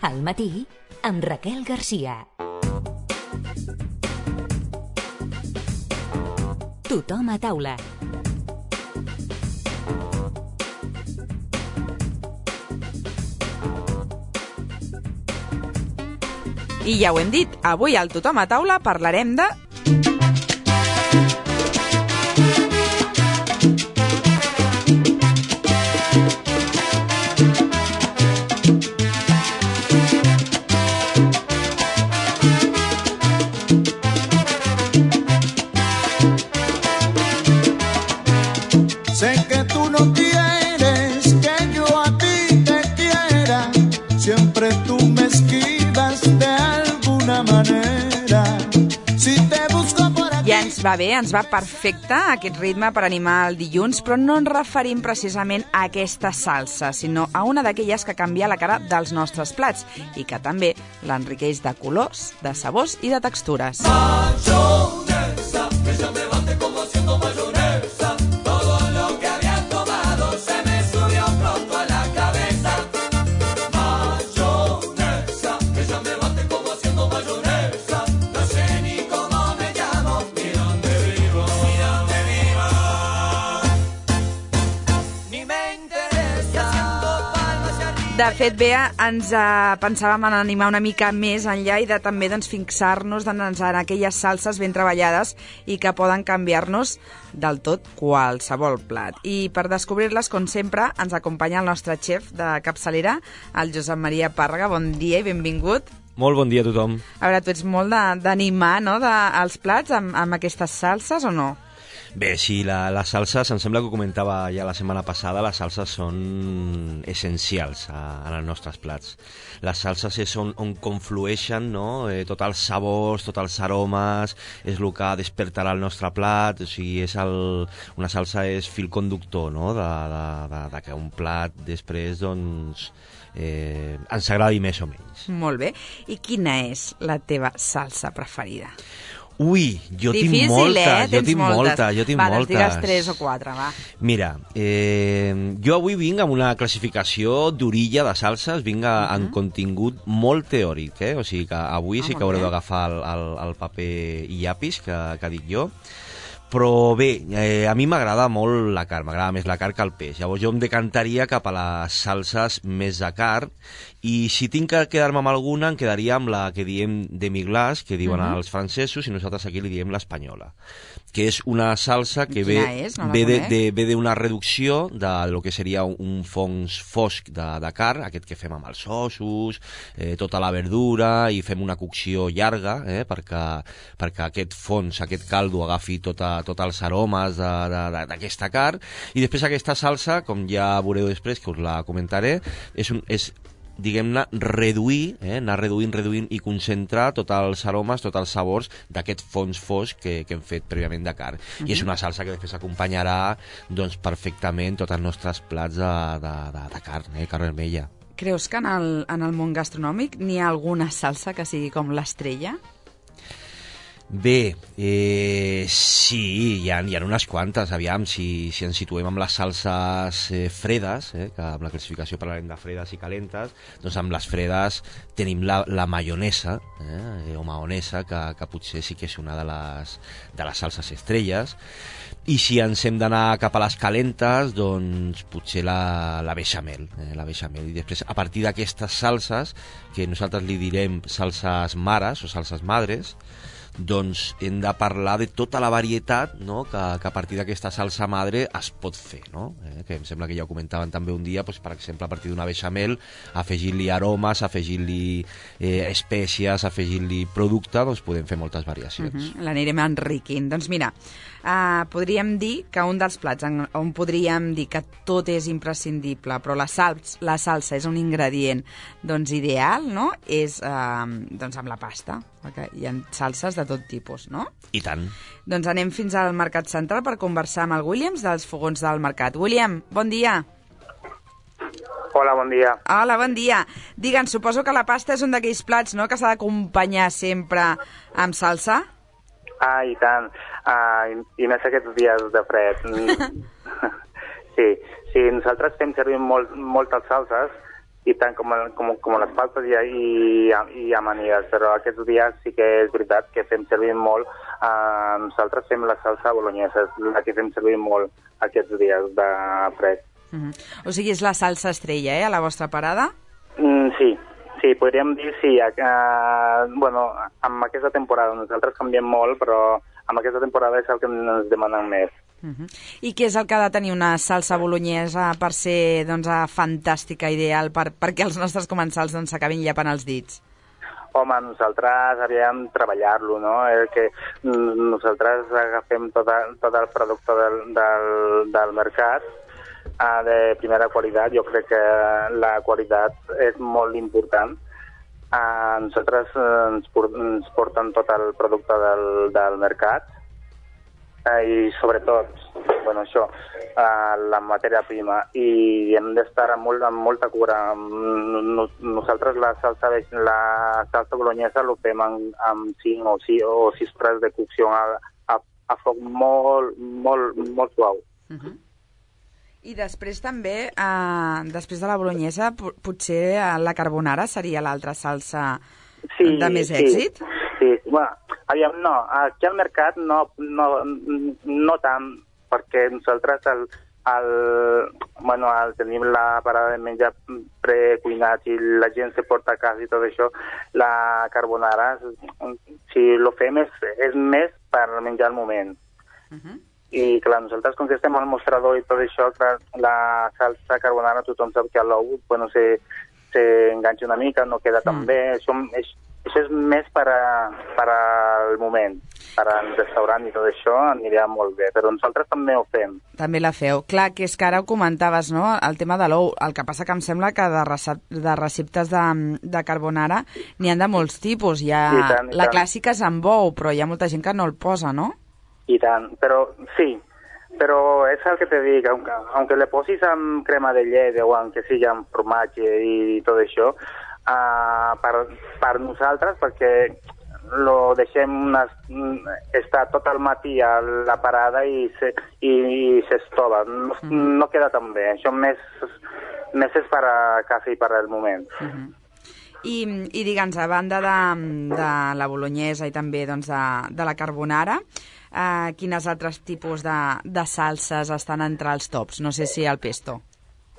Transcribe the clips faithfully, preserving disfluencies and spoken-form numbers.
Al matí, amb Raquel Garcia. Tothom a taula. I ja ho hem dit, avui al Tothom a taula parlarem de... Sé que tú no quieres que yo a ti te quiera, siempre tú me esquivas de alguna manera. Si te busco por aquí... Ja ens va bé, ens va perfecte aquest ritme per animar el dilluns, però no ens referim precisament a aquesta salsa, sinó a una d'aquelles que canvia la cara dels nostres plats i que també l'enriqueix de colors, de sabors i de textures. Mayonesa, ella me bate como haciendo mayonesa. Todo lo que había tomado se me subió pronto a la cabeza. Mayonesa, ella me bate como haciendo mayonesa. No sé ni cómo me llamo, ni dónde vivo, ni dónde vivo. Ni me interesa haciendo palmas y arriba. De fet, Bea, ens eh, pensàvem en animar una mica més enllà i de també doncs, fixar-nos en, en aquelles salses ben treballades i que poden canviar-nos del tot qualsevol plat. I per descobrir-les, com sempre, ens acompanya el nostre xef de capçalera, el Josep Maria Pàrrega. Bon dia i benvingut. Molt bon dia a tothom. A veure, tu ets molt de- d'animar, no?, de, els plats amb, amb aquestes salses o no? Bé, sí, la, les salses, em sembla que ho comentava ja la setmana passada, les salses són essencials a, en els nostres plats. Les salses és on, on conflueixen, no?, eh, tots els sabors, tots els aromes, és el que despertarà el nostre plat, o sigui, és el, una salsa és fil conductor, no?, de, de, de, de que un plat després, doncs, eh, ens agradi més o menys. Molt bé. I quina és la teva salsa preferida? Ui, jo Difícil, tinc moltes, eh? jo Tens tinc moltes. moltes, jo tinc va, moltes. Va, doncs digues tres o quatre, va. Mira, eh, jo avui vinc amb una classificació d'orilla de salses, vinc a, uh -huh. en contingut molt teòric, eh? O sigui que avui Ah, sí que molt haureu bé. d'agafar el, el, el paper i llapis que, que dic jo. Però bé, eh, a mi m'agrada molt la carn, m'agrada més la carn que el peix. Llavors jo em decantaria cap a les salses més de carn i si tinc que quedar-me amb alguna em quedaria amb la que diem demi-glace, que diuen Mhm. els francesos, i nosaltres aquí li diem l'espanyola, que és una salsa que Quina ve, és? No la ve, de, conec. de, ve d'una reducció de lo que seria un fons fosc de, de carn, aquest que fem amb els ossos, eh, tota la verdura, i fem una cocció llarga, eh, perquè, perquè aquest fons, aquest caldo agafi tota, tots els aromes d'aquesta carn, i després aquesta salsa, com ja veureu després, que us la comentaré, és, un, és diguem-ne, reduir, eh, anar reduint, reduint i concentrar tots els aromes, tots els sabors d'aquest fons fosc que, que hem fet prèviament de carn. Uh-huh. I és una salsa que després acompanyarà doncs, perfectament tots els nostres plats de, de, de, de carn, eh, carn vermella. Creus que en el, en el món gastronòmic n'hi ha alguna salsa que sigui com l'estrella? Bé, eh, sí, hi ha, hi ha unes quantes, aviam, si, si ens situem amb les salses eh, fredes, eh, que amb la classificació parlarem de fredes i calentes, doncs amb les fredes tenim la, la maionesa, eh, o maonesa, que, que potser sí que és una de les, de les salses estrelles, i si ens hem d'anar cap a les calentes, doncs potser la, la beixamel, eh, la beixamel, i després a partir d'aquestes salses, que nosaltres li direm salses mares o salses madres, doncs hem de parlar de tota la varietat, no?, que, que a partir d'aquesta salsa madre es pot fer, no? Eh, que em sembla que ja ho comentaven també un dia, doncs, per exemple, a partir d'una beixamel, afegint-li aromes, afegint-li eh, espècies, afegint-li producte, doncs podem fer moltes variacions. Uh -huh. L'anirem enriquint. Doncs mira, uh, podríem dir que un dels plats en, on podríem dir que tot és imprescindible, però la, salsa, la salsa és un ingredient doncs ideal, no?, és uh, doncs amb la pasta, perquè hi ha salses de tot tipus, no? I tant. Doncs anem fins al Mercat Central per conversar amb el Williams dels Fogons del Mercat. William, bon dia. Hola, bon dia. Hola, bon dia. Digue'ns, suposo que la pasta és un d'aquells plats, no?, que s'ha d'acompanyar sempre amb salsa? Ah, i tant. Ah, i, i més aquests dies de fred. Sí, sí, nosaltres fem servir molt, moltes salses i tant com, com, com les pastes i, i, i amanides, però aquests dies sí que és veritat que fem servir molt, eh, nosaltres fem la salsa bolognesa, és la que fem servir molt aquests dies de fred. Uh-huh. O sigui, és la salsa estrella, eh, a la vostra parada? Mm, sí, sí, podríem dir sí. Uh, bueno, amb aquesta temporada nosaltres canviem molt, però amb aquesta temporada és el que ens demanen més. Uh-huh. I què és el que ha de tenir una salsa bolognesa per ser, doncs, fantàstica, ideal, per, perquè els nostres comensals doncs, s'acabin llepant els dits? Home, nosaltres havíem treballar-lo, no? Eh, que nosaltres agafem tot, tot el producte del, del, del mercat eh, de primera qualitat. Jo crec que la qualitat és molt important. Eh, nosaltres eh, ens, ens porten tot el producte del, del mercat eh, i sobretot, bueno, això, eh, la matèria prima, i hem d'estar amb, molt, amb molta cura. Nosaltres la salsa, la salsa bolognesa lo fem amb, amb cinc o sis o sis hores de cocció a, a, a foc molt, molt, molt suau. Uh-huh. I després també, eh, després de la bolognesa, potser la carbonara seria l'altra salsa sí, de més sí, èxit? Sí, bueno, aviam, no, aquí al mercat no, no, no tant, perquè nosaltres el, el, bueno, el tenim la parada de menjar precuinat i la gent se porta a casa i tot això. La carbonara, si lo fem, és, és més per menjar al moment. Uh-huh. I clar, nosaltres, com que estem al mostrador i tot això, clar, la salsa carbonara tothom sap que a l'ou, bueno, se, se enganxa una mica, no queda tan mm. bé. Això és, això és més per, a, per al moment. Per al restaurant i tot això aniria molt bé, però nosaltres també ho fem. També la feu. Clar, que és que ara ho comentaves, no?, el tema de l'ou. El que passa que em sembla que de, recep de receptes de, de carbonara n'hi ha de molts tipus. Hi ha I tant, i la tant. Clàssica és amb ou, però hi ha molta gent que no el posa, no? I tant, però sí, però és el que te dic, aunque, aunque le posis amb crema de llet o aunque sigui amb formatge i tot això, uh, per, per nosaltres, perquè lo deixem unes, estar tot el matí a la parada i, se, i, i s'estova, no, mm. no queda tan bé, això més, més és per a casa i per al moment. Mm-hmm. I, i digue'ns, a banda de, de la bolognesa i també doncs, de, de la carbonara, eh, quines altres tipus de, de salses estan entre els tops? No sé si el pesto.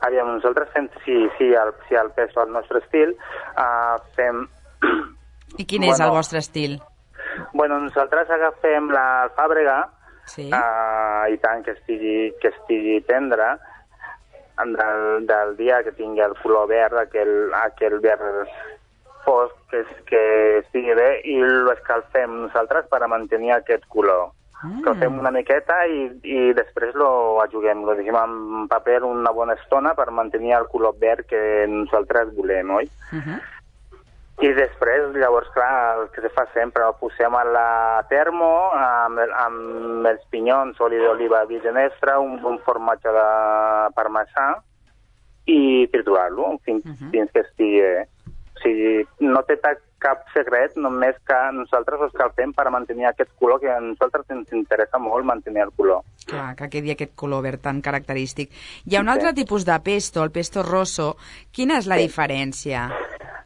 Aviam, nosaltres fem, sí, sí, el, sí, el pesto al nostre estil, uh, fem... I quin bueno, és el vostre estil? Bueno, nosaltres agafem l'alfàbrega, sí. uh, i tant que estigui, que estigui tendra, del, del dia que tingui el color verd, aquell, aquell verd fosc que, que estigui bé, i l'escalfem nosaltres per a mantenir aquest color. Mm. Escalfem una miqueta i, i després lo ajuguem, lo deixem en paper una bona estona per mantenir el color verd que nosaltres volem, oi? Uh-huh. I després, llavors, clar, el que se fa sempre, el posem a la termo amb, el, amb els pinyons, oli d'oliva virgen extra, un, un formatge de parmesà i triturar-lo fins, uh-huh. fins que estigui bé. O sigui, no té cap secret, només que nosaltres ho escalfem per mantenir aquest color, que a nosaltres ens interessa molt mantenir el color. Clar, que quedi aquest color verd tan característic. Hi ha un altre sí. tipus de pesto, el pesto rosso. Quina és la sí. diferència?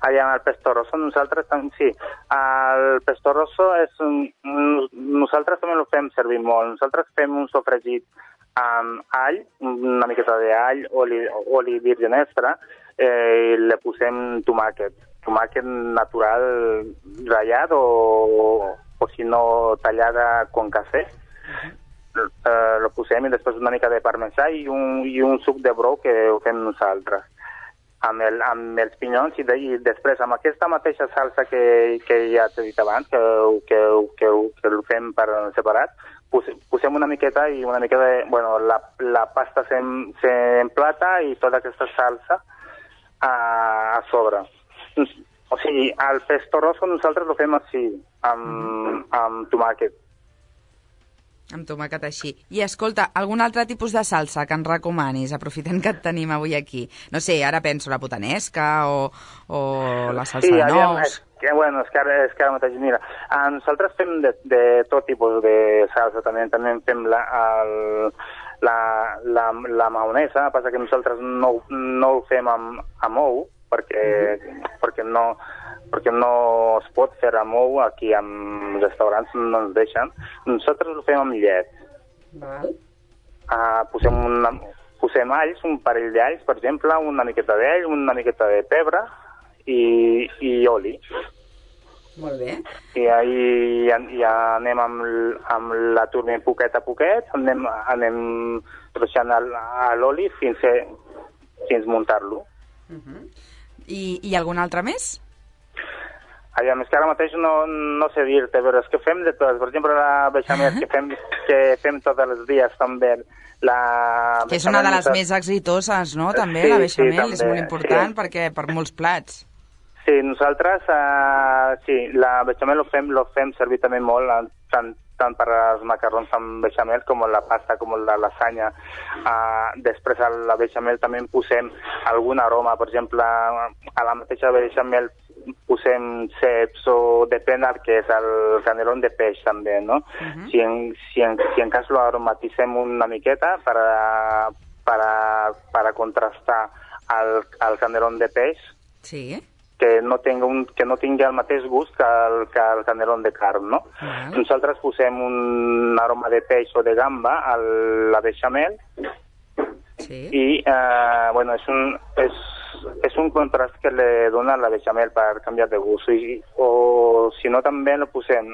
Allà, el pesto rosso, nosaltres sí. El pesto rosso és un, nosaltres també el fem servir molt. Nosaltres fem un sofregit amb all, una miqueta d'all, oli, oli virgen extra, eh, i le posem tomàquet. Tomàquet natural ratllat o, o si no tallada con cafè. Eh, lo posem i després una mica de parmesà i un, i un suc de brou que ho fem nosaltres. Amb, el, amb els pinyons i, de, i després amb aquesta mateixa salsa que, que ja t'he dit abans, que, que, que, que ho fem per separat, posem una miqueta i una miqueta de... Bueno, la, la pasta s'emplata i tota aquesta salsa a, a sobre. O sigui, el pesto rosso nosaltres ho fem així, amb, amb tomàquet. Amb tomàquet així. I escolta, algun altre tipus de salsa que ens recomanis, aprofitant que et tenim avui aquí? No sé, ara penso la putanesca o, o la salsa sí, de aviam, nous. És que, bueno, és que ara, és que ara mateix, mira, nosaltres fem de, de tot tipus de salsa, també, també fem la, el, la, la, la maonesa, passa que nosaltres no, no ho fem amb, amb ou, perquè, perquè, no, perquè no es pot fer remou aquí en restaurants, no ens deixen. Nosaltres ho fem amb llet. Val. Uh, posem, una, posem alls, un parell d'alls, per exemple, una miqueta d'all, una miqueta de pebre i, i oli. Molt bé. I ahí ja, ja anem amb, amb la turbina poquet a poquet, anem, anem ruixant l'oli fins, a, fins muntar-lo. Uh -huh. I, I algun altre més? Allà, més que ara mateix no, no sé dir-te, però és que fem de totes. Per exemple, la beixamel que fem, que fem tots els dies també. La que és una de les nosaltres... més exitoses, no? També, sí, la beixamel, sí, també, és molt important sí. perquè per molts plats. Sí, nosaltres, uh, sí, la beixamel lo fem, lo fem servir també molt, tant, tant per als macarrons amb beixamel com la pasta, com la lasanya. Uh, després a la beixamel també posem algun aroma, per exemple, a la mateixa beixamel posem ceps o depèn del que és el canelón de peix també, no? Uh-huh. Si, en, si, en, si en cas lo aromatitzem una miqueta per a, per a, per a contrastar el, el canelón de peix, sí. que no tingui, un, que no tingui el mateix gust que el, que el canelón de carn, no? Uh-huh. Nosaltres posem un aroma de peix o de gamba a la beixamel sí. i, eh, bueno, és un... És, és un contrast que li dona la beixamel per canviar de gust. I, o si no, també lo posem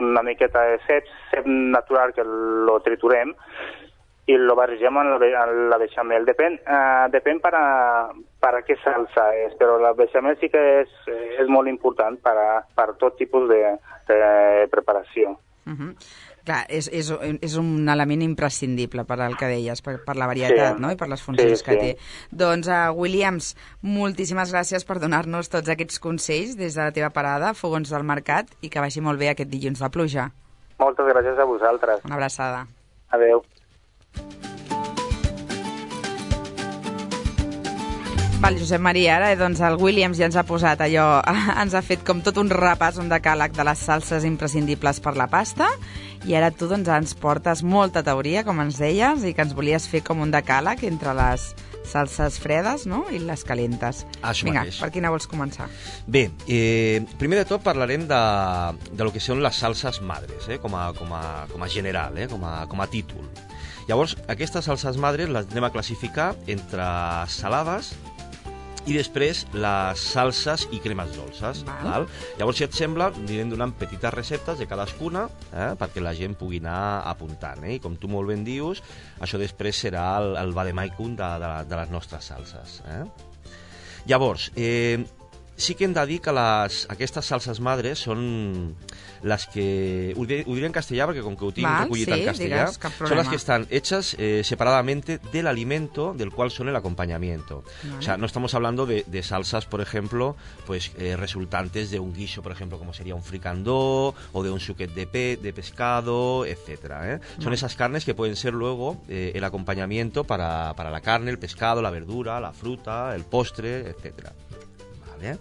una miqueta de cep, cep natural que lo triturem i lo barregem amb la, amb la beixamel. Depèn, uh, depèn per a, per a què salsa és, però la beixamel sí que és, és molt important per a, per tot tipus de, de preparació. Uh-huh. Clar, és, és, és un element imprescindible per al que deies, per, per la varietat, sí. no? I per les funcions sí, que sí. té. Doncs, uh, Williams, moltíssimes gràcies per donar-nos tots aquests consells des de la teva parada, Fogons del Mercat, i que vagi molt bé aquest dilluns de pluja. Moltes gràcies a vosaltres. Una abraçada. Adéu. Val, Josep Maria, ara doncs el Williams ja ens ha posat allò, ens ha fet com tot un repàs, un decàleg de les salses imprescindibles per la pasta, i ara tu doncs ens portes molta teoria, com ens deies, i que ens volies fer com un decàleg entre les salses fredes, no?, i les calentes. Això Vinga, mateix. per quina vols començar? Bé, eh, primer de tot parlarem de, de lo que són les salses madres, eh, com, a, com, a, com a general, eh, com, a, com a títol. Llavors, aquestes salses madres les anem a classificar entre salades i després les salses i cremes dolces. Val. Val? Llavors, si et sembla, anirem donant petites receptes de cadascuna eh, perquè la gent pugui anar apuntant. Eh? I com tu molt ben dius, això després serà el, el vademecum de, de, de les nostres salses. Eh? Llavors, eh, sí que hem de dir que les, aquestes salses madres són les que... Ho diré, ho diré en castellà perquè com que ho tinc Val, recollit sí, en castellà, digues, son las que están hechas eh, separadamente del alimento del cual son el acompañamiento. Vale. O sea, no estamos hablando de, de salsas, por ejemplo, pues eh, resultantes de un guiso, por ejemplo, como sería un fricandó o de un suquet de, pe de pescado, etcétera. ¿eh? Son vale. esas carnes que pueden ser luego eh, el acompañamiento para, para la carne, el pescado, la verdura, la fruta, el postre, etcétera. Vale.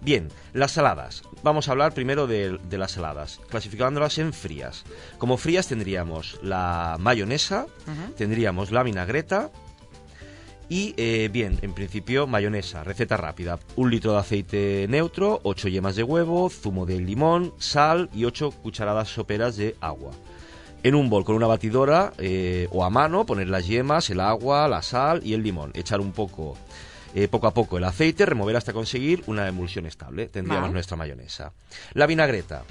Bien, las saladas. Vamos a hablar primero de, de las saladas, clasificándolas en frías. Como frías tendríamos la mayonesa, uh-huh. tendríamos la vinagreta y, eh, bien, en principio, mayonesa, receta rápida. Un litro de aceite neutro, ocho yemas de huevo, zumo de limón, sal y ocho cucharadas soperas de agua. En un bol con una batidora eh, o a mano poner las yemas, el agua, la sal y el limón. Echar un poco... Eh, poco a poco el aceite, remover hasta conseguir una emulsión estable. Tendríamos vale. nuestra mayonesa. La vinagreta.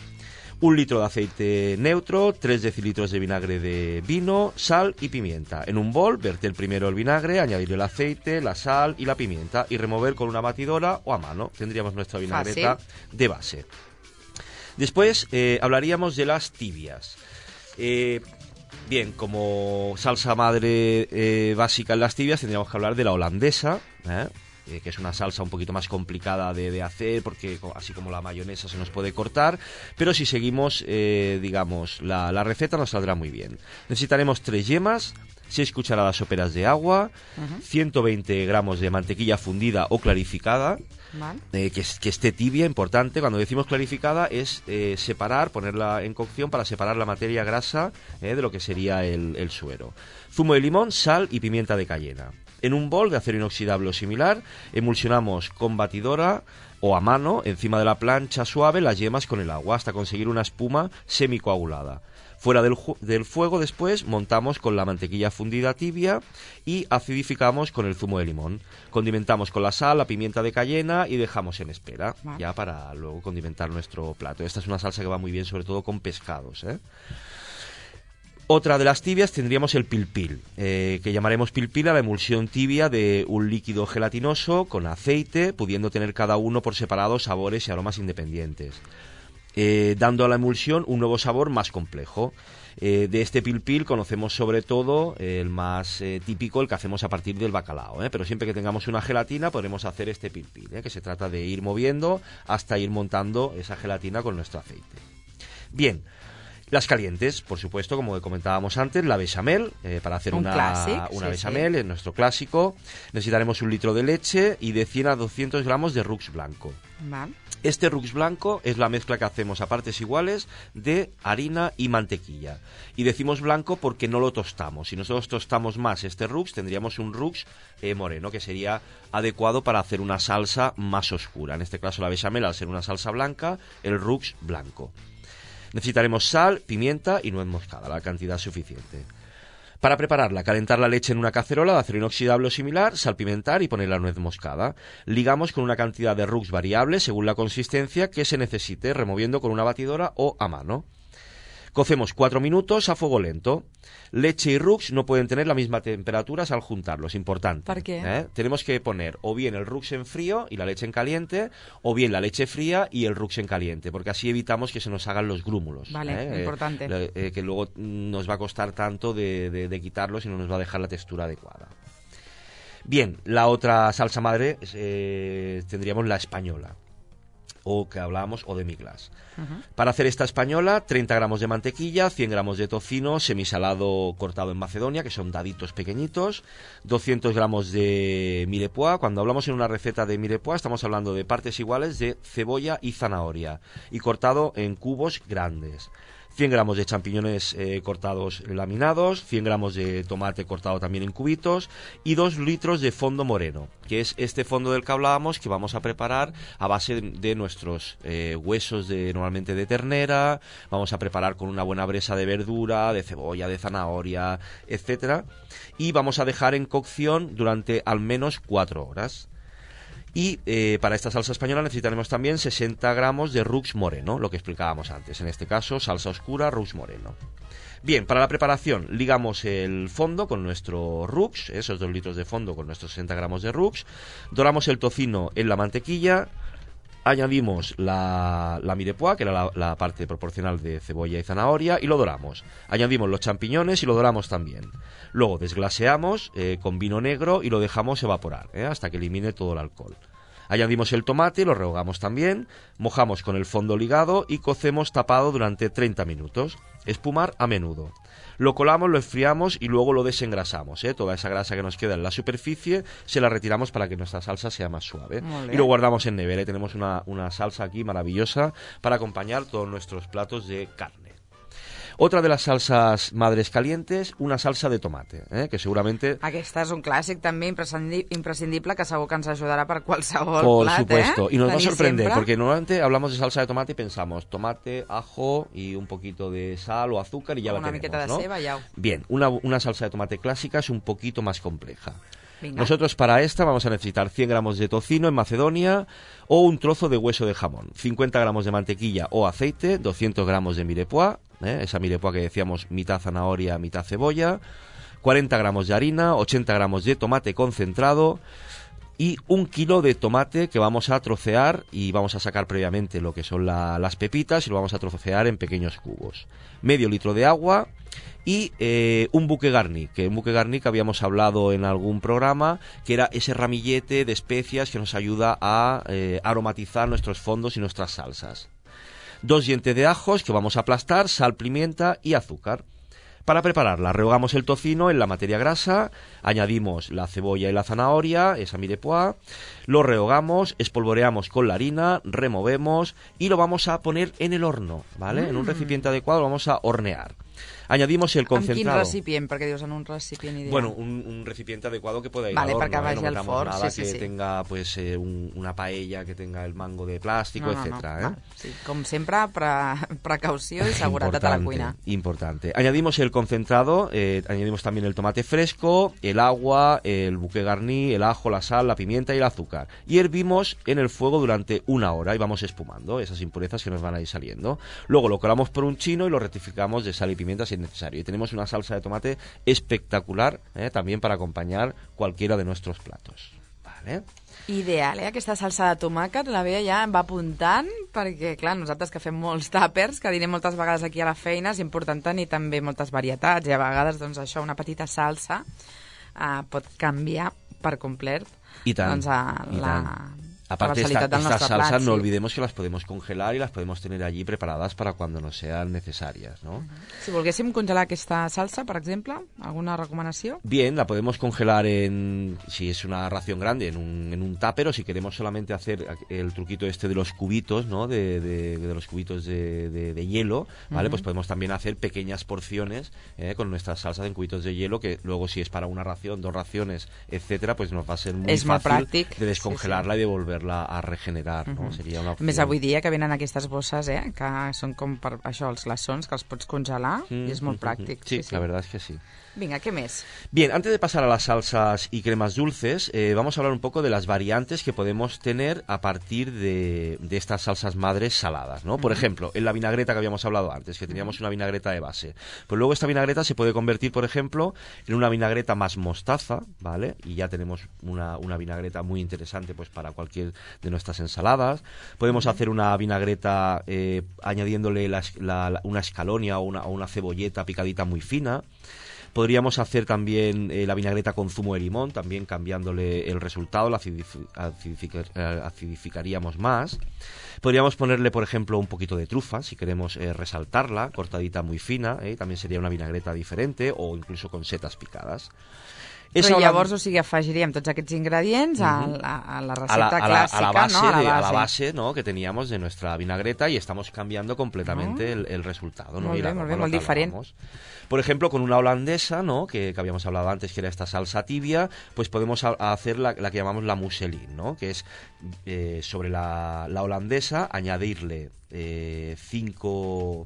Un litro de aceite neutro, tres decilitros de vinagre de vino, sal y pimienta. En un bol, verter primero el vinagre, añadir el aceite, la sal y la pimienta y remover con una batidora o a mano. Tendríamos nuestra vinagreta Fácil. de base. Después eh, hablaríamos de las tibias. Eh... Bien, como salsa madre eh, básica en las tibias, tendríamos que hablar de la holandesa, ¿eh? Eh, que es una salsa un poquito más complicada de, de hacer, porque así como la mayonesa se nos puede cortar, pero si seguimos, eh, digamos, la, la receta nos saldrá muy bien. Necesitaremos tres yemas, seis cucharadas soperas de agua, uh-huh. ciento veinte gramos de mantequilla fundida o clarificada, vale. eh, que, que esté tibia, importante. Cuando decimos clarificada es eh, separar, ponerla en cocción para separar la materia grasa eh, de lo que sería el, el suero. Zumo de limón, sal y pimienta de cayena. En un bol de acero inoxidable o similar, emulsionamos con batidora o a mano, encima de la plancha suave, las yemas con el agua hasta conseguir una espuma semicoagulada. Fuera del, del fuego después montamos con la mantequilla fundida tibia y acidificamos con el zumo de limón. Condimentamos con la sal, la pimienta de cayena y dejamos en espera, vale, ya para luego condimentar nuestro plato. Esta es una salsa que va muy bien sobre todo con pescados, ¿eh? Otra de las tibias tendríamos el pilpil, eh, que llamaremos pilpil a la emulsión tibia de un líquido gelatinoso con aceite, pudiendo tener cada uno por separado sabores y aromas independientes, eh, dando a la emulsión un nuevo sabor más complejo. Eh, de este pilpil conocemos sobre todo eh, el más eh, típico, el que hacemos a partir del bacalao, ¿eh? Pero siempre que tengamos una gelatina podremos hacer este pilpil, ¿eh? Que se trata de ir moviendo hasta ir montando esa gelatina con nuestro aceite. Bien. Las calientes, por supuesto, como comentábamos antes, la bechamel, eh, para hacer un una, clásic, una sí, bechamel, sí. Es nuestro clásico. Necesitaremos un litro de leche y de cien a doscientos gramos de rux blanco. Vale. Este rux blanco es la mezcla que hacemos a partes iguales de harina y mantequilla. Y decimos blanco porque no lo tostamos. Si nosotros tostamos más este rux, tendríamos un rux eh, moreno, que sería adecuado para hacer una salsa más oscura. En este caso la bechamel, al ser una salsa blanca, el rux blanco. Necesitaremos sal, pimienta y nuez moscada, la cantidad suficiente. Para prepararla, calentar la leche en una cacerola de acero inoxidable o similar, salpimentar y poner la nuez moscada. Ligamos con una cantidad de rux variable según la consistencia que se necesite, removiendo con una batidora o a mano. Cocemos cuatro minutos a fuego lento. Leche y rux no pueden tener la misma temperatura al juntarlos, importante. ¿Por qué? ¿Eh? Tenemos que poner o bien el rux en frío y la leche en caliente, o bien la leche fría y el rux en caliente, porque así evitamos que se nos hagan los grúmulos. Vale, ¿eh? importante. Eh, eh, que luego nos va a costar tanto de, de, de quitarlos y no nos va a dejar la textura adecuada. Bien, la otra salsa madre eh, tendríamos la española, o que hablábamos, o demi-glace. Uh-huh. Para hacer esta española, treinta gramos de mantequilla, cien gramos de tocino semisalado cortado en Macedonia, que son daditos pequeñitos, doscientos gramos de mirepoix. Cuando hablamos en una receta de mirepoix, estamos hablando de partes iguales de cebolla y zanahoria, y cortado en cubos grandes. cien gramos de champiñones eh, cortados laminados, cien gramos de tomate cortado también en cubitos y dos litros de fondo moreno, que es este fondo del que hablábamos, que vamos a preparar a base de, de nuestros eh, huesos de normalmente de ternera. Vamos a preparar con una buena bresa de verdura, de cebolla, de zanahoria, etcétera, y vamos a dejar en cocción durante al menos cuatro horas. Y eh, para esta salsa española necesitaremos también sesenta gramos de rux moreno, lo que explicábamos antes. En este caso, salsa oscura, rux moreno. Bien, para la preparación, ligamos el fondo con nuestro rux, esos dos litros de fondo con nuestros sesenta gramos de rux. Doramos el tocino en la mantequilla. Añadimos la, la mirepoix, que era la, la parte proporcional de cebolla y zanahoria, y lo doramos. Añadimos los champiñones y lo doramos también. Luego desglaseamos eh, con vino negro y lo dejamos evaporar eh, hasta que elimine todo el alcohol. Añadimos el tomate, lo rehogamos también, mojamos con el fondo ligado y cocemos tapado durante treinta minutos. Espumar a menudo. Lo colamos, lo enfriamos y luego lo desengrasamos. ¿eh? Toda esa grasa que nos queda en la superficie se la retiramos para que nuestra salsa sea más suave. Y lo guardamos en nevera. Y tenemos una, una salsa aquí maravillosa para acompañar todos nuestros platos de carne. Otra de las salsas madres calientes, una salsa de tomate, eh, que seguramente... Aquesta és un clàssic també imprescindi- imprescindible que segur que ens ajudarà per qualsevol Por plat, supuesto, eh? y nos va a Tenir sorprender, sempre. porque normalmente hablamos de salsa de tomate y pensamos tomate, ajo y un poquito de sal o azúcar y ya Una la tenemos, miqueta de ¿no? ceba, ya. Bien, una, una salsa de tomate clásica es un poquito más compleja. Venga. Nosotros para esta vamos a necesitar cien gramos de tocino en Macedonia o un trozo de hueso de jamón, cincuenta gramos de mantequilla o aceite, doscientos gramos de mirepoix, ¿eh? esa mirepoix que decíamos mitad zanahoria, mitad cebolla, cuarenta gramos de harina, ochenta gramos de tomate concentrado y un kilo de tomate que vamos a trocear y vamos a sacar previamente lo que son la, las pepitas y lo vamos a trocear en pequeños cubos. Medio litro de agua y eh, un buque garni, que un buque garni que habíamos hablado en algún programa, que era ese ramillete de especias que nos ayuda a eh, aromatizar nuestros fondos y nuestras salsas. Dos dientes de ajos que vamos a aplastar, sal, pimienta y azúcar. Para prepararla, rehogamos el tocino en la materia grasa, añadimos la cebolla y la zanahoria, esa mirepoix, lo rehogamos, espolvoreamos con la harina, removemos y lo vamos a poner en el horno, ¿vale? Mm. En un recipiente adecuado lo vamos a hornear. Añadimos el concentrado. ¿En quin recipient? Perquè dius en un recipient ideal. Bueno, un, un recipiente adecuado que pueda ir vale, al horno. Perquè vagi ¿eh? No al metamos forn, nada sí, sí, que sí. tenga pues eh, un, una paella que tenga el mango de plástico, no, no, etcétera. No. ¿eh? Sí, com sempre, pre precaució y seguretat a la cuina. Importante. Añadimos el concentrado, eh, añadimos también el tomate fresco, el agua, el buque garní, el ajo, la sal, la pimienta y el azúcar. Y hervimos en el fuego durante una hora y vamos espumando esas impurezas que nos van a ir saliendo. Luego lo colamos por un chino y lo rectificamos de sal y pimienta si es necesario. Y tenemos una salsa de tomate espectacular, eh, también para acompañar cualquiera de nuestros platos. Vale. Ideal, eh? Aquesta salsa de tomàquet, la Bea ja em va apuntant, perquè, clar, nosaltres que fem molts tàpers, que dinem moltes vegades aquí a la feina, és important tenir també moltes varietats, i a vegades, doncs, això, una petita salsa eh, pot canviar per complet I tant, doncs, a, i la... tant. Aparte, esta, estas salsas plat, no sí. olvidemos que las podemos congelar y las podemos tener allí preparadas para cuando nos sean necesarias, ¿no? Si volguéssim congelar aquesta salsa, por ejemplo, ¿alguna recomendación? Bien, la podemos congelar en, si es una ración grande, en un, en un tupper, o si queremos solamente hacer el truquito este de los cubitos, ¿no? De, de, de los cubitos de, de, de hielo, ¿vale? Uh-huh. Pues podemos también hacer pequeñas porciones eh, con nuestras salsas en cubitos de hielo, que luego si es para una ración, dos raciones, etcétera, pues nos va a ser muy es fácil muy pràctic, de descongelarla sí, sí. y devolverla a regenerar, no? Uh-huh. Seria una opció. Més avui dia que venen aquestes bosses, eh? Que són com per això, els glaçons, que els pots congelar, mm, i és molt pràctic. Sí, sí, sí, la verdad es que sí. Venga, ¿qué más? Bien, antes de pasar a las salsas y cremas dulces, eh, vamos a hablar un poco de las variantes que podemos tener a partir de, de estas salsas madres saladas, ¿no? Por uh-huh. ejemplo, en la vinagreta que habíamos hablado antes, que teníamos una vinagreta de base. Pues luego esta vinagreta se puede convertir, por ejemplo, en una vinagreta más mostaza, ¿vale? Y ya tenemos una, una vinagreta muy interesante pues para cualquier de nuestras ensaladas. Podemos uh-huh. hacer una vinagreta eh, añadiéndole la, la, la, una escalonia o una, o una cebolleta picadita muy fina. Podríamos hacer también eh, la vinagreta con zumo de limón, también cambiándole el resultado, la acidific acidific acidificaríamos más. Podríamos ponerle, por ejemplo, un poquito de trufa, si queremos eh, resaltarla, cortadita muy fina, eh, también sería una vinagreta diferente, o incluso con setas picadas. Però llavors, o sigui, afegiríem tots aquests ingredients a la, a la receta a la, a la, clàssica, a la base, ¿no? A la base, de, a la base ¿no? que teníamos de nuestra vinagreta y estamos cambiando completamente oh. el, el resultado. ¿no? Molt bé, molt bé, molt diferent. Por ejemplo, con una holandesa, ¿no? que, que habíamos hablado antes, que era esta salsa tibia, pues podemos a, a hacer la, la que llamamos la mousseline, ¿no? que es eh, sobre la, la holandesa añadirle eh, cinco...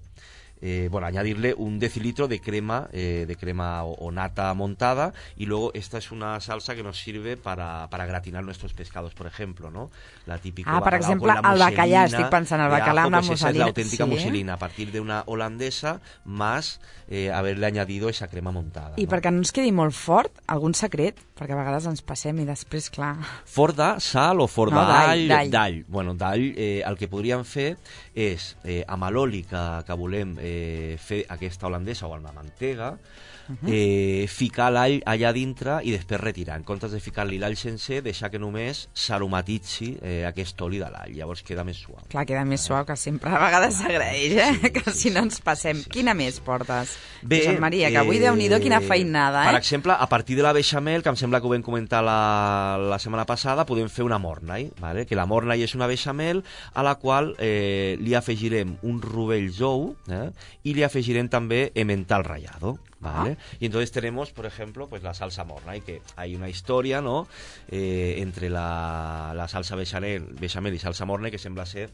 Eh, bueno, añadirle un decilitro de crema eh, de crema o, o nata montada, y luego esta es una salsa que nos sirve para, para gratinar nuestros pescados, por ejemplo, ¿no? La típica ah, per exemple, el bacallà, estic pensant, el bacallà amb la pues esa es la auténtica sí, mousseline, a partir de una holandesa más eh, haberle añadido esa crema montada. I no? perquè no ens quedi molt fort, algun secret? Perquè a vegades ens passem i després, clar... Forda, sal o forda no, d'all? D'all. D'all. Bueno, d'all, eh, el que podríem fer és, eh, amb l'oli que, que volem eh, fer aquesta holandesa o amb la mantega, uh-huh. eh, ficar l'all allà dintre i després retirar. En comptes de ficar-li l'all sencer, deixar que només s'aromatitzi eh, aquest oli de l'all. Llavors queda més suau. Clar, queda més suau, que sempre a vegades s'agraeix, eh? Sí, que si no ens passem. Sí, Quina sí. més portes? Bé, Josep Maria, que avui, eh, Déu-n'hi-do, quina feinada, eh? Per exemple, a partir de la beixamel, que em sembla que ho vam comentar la, la setmana passada, podem fer una mornay, ¿vale? Que la mornay és una beixamel a la qual eh, li afegirem un rovell jou eh? i li afegirem també emmental rallado. ¿Vale? Ah. Y entonces tenemos, por ejemplo, pues la salsa mornay, que hay una historia, ¿no? Eh, entre la, la salsa bechamel, bechamel y salsa mornay que sembla ser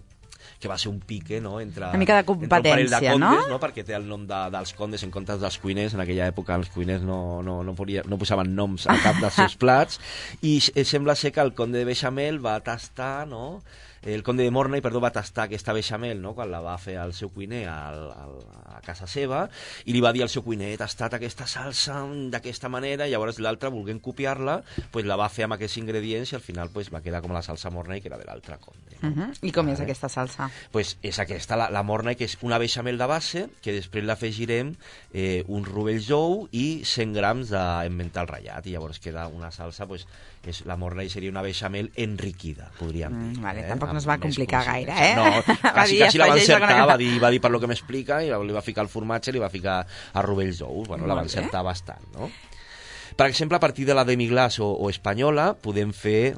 que va ser un pique, no? Entre, una mica de competència, de condes, no? no? Perquè té el nom de, dels condes en comptes dels cuiners. En aquella època els cuiners no, no, no, podia, no posaven noms a cap dels seus plats, i sembla ser que el conde de bechamel va tastar, no? El conde de Mornay, perdó, va tastar aquesta bechamel, no?, quan la va fer el seu cuiner al, al, a casa seva, i li va dir al seu cuiner: he tastat aquesta salsa d'aquesta manera, i llavors l'altre, volent copiar-la, pues la va fer amb aquests ingredients, i al final pues, va quedar com la salsa Mornay, que era de l'altre conde. No? Uh-huh. I com vale. és aquesta salsa? Pues és aquesta, la, la Mornay, que és una bechamel de base, que després l'afegirem eh, un rovell jou i cent grams d'emmental ratllat, i llavors queda una salsa, pues, és, la Mornay seria una bechamel enriquida, podríem dir. Mm, vale, eh? tampoc no es va complicar gaire, eh? No, quasi, dir, quasi la va encertar, que... va dir, va dir per lo que m'explica, i li va ficar el formatge, li va ficar a rovells d'ous, bueno, la va encertar bastant, no? Per exemple, a partir de la demi-glace o, o espanyola, podem fer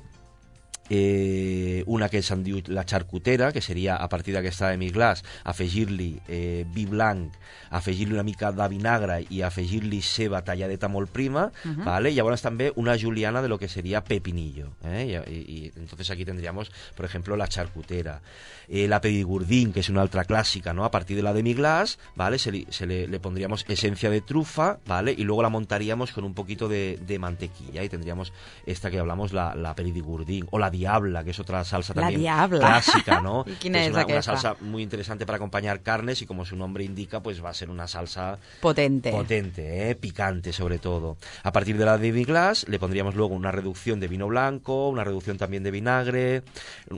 eh, una que se'n diu la xarcutera, que seria a partir d'aquesta demi-glaç afegir-li eh, vi blanc, afegir-li una mica de vinagre i afegir-li ceba talladeta molt prima, uh-huh. ¿vale? Y ahora també una juliana de lo que sería pepinillo, ¿eh? y, y, y entonces aquí tendríamos, por ejemplo, la charcutera, eh, la pedigurdín, que es una otra clásica, ¿no? A partir de la demi-glace, ¿vale? Se, li, se le, le pondríamos esencia de trufa, ¿vale? Y luego la montaríamos con un poquito de, de mantequilla y tendríamos esta que hablamos, la, la pedigurdín, o la diabla, que es otra salsa la también diabla. clásica, ¿no? ¿Y quién es, es una, aquesta? Una salsa muy interesante para acompañar carnes y como su nombre indica, pues va a ser una salsa potente, potente, ¿eh? Picante sobre todo. A partir de la demi-glace le pondríamos luego una reducción de vino blanco, una reducción también de vinagre,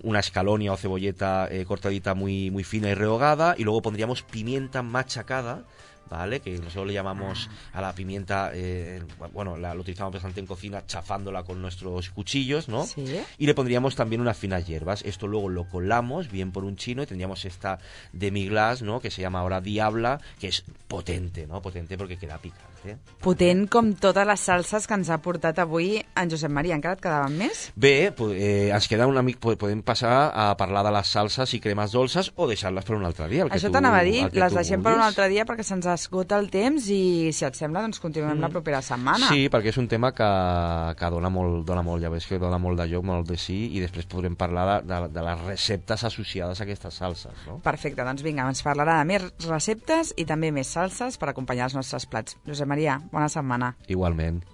una escalonia o cebolleta eh, cortadita muy, muy fina y rehogada, y luego pondríamos pimienta machacada, ¿vale? Que nosotros le llamamos a la pimienta, eh, bueno, la, lo utilizamos bastante en cocina, chafándola con nuestros cuchillos, ¿no? Sí. Y le pondríamos también unas finas hierbas. Esto luego lo colamos bien por un chino y tendríamos esta demi-glace, ¿no? Que se llama ahora diabla, que es potente, ¿no? Potente porque queda picante. Potent com totes les salses que ens ha portat avui en Josep Maria. Encara et quedaven més? Bé, eh, ens queda una mica, podem passar a parlar de les salses i cremes dolces o deixar-les per un altre dia. Això t'anava a dir, les deixem per un altre dia perquè se'ns esgota el temps i, si et sembla, doncs continuem mm. la propera setmana. Sí, perquè és un tema que, que dona molt, dona molt, ja veus que dona molt de lloc, molt de sí, i després podrem parlar de, de, de les receptes associades a aquestes salses, no? Perfecte, doncs vinga, ens parlarà de més receptes i també més salses per acompanyar els nostres plats. Josep Maria, bona setmana. Igualment.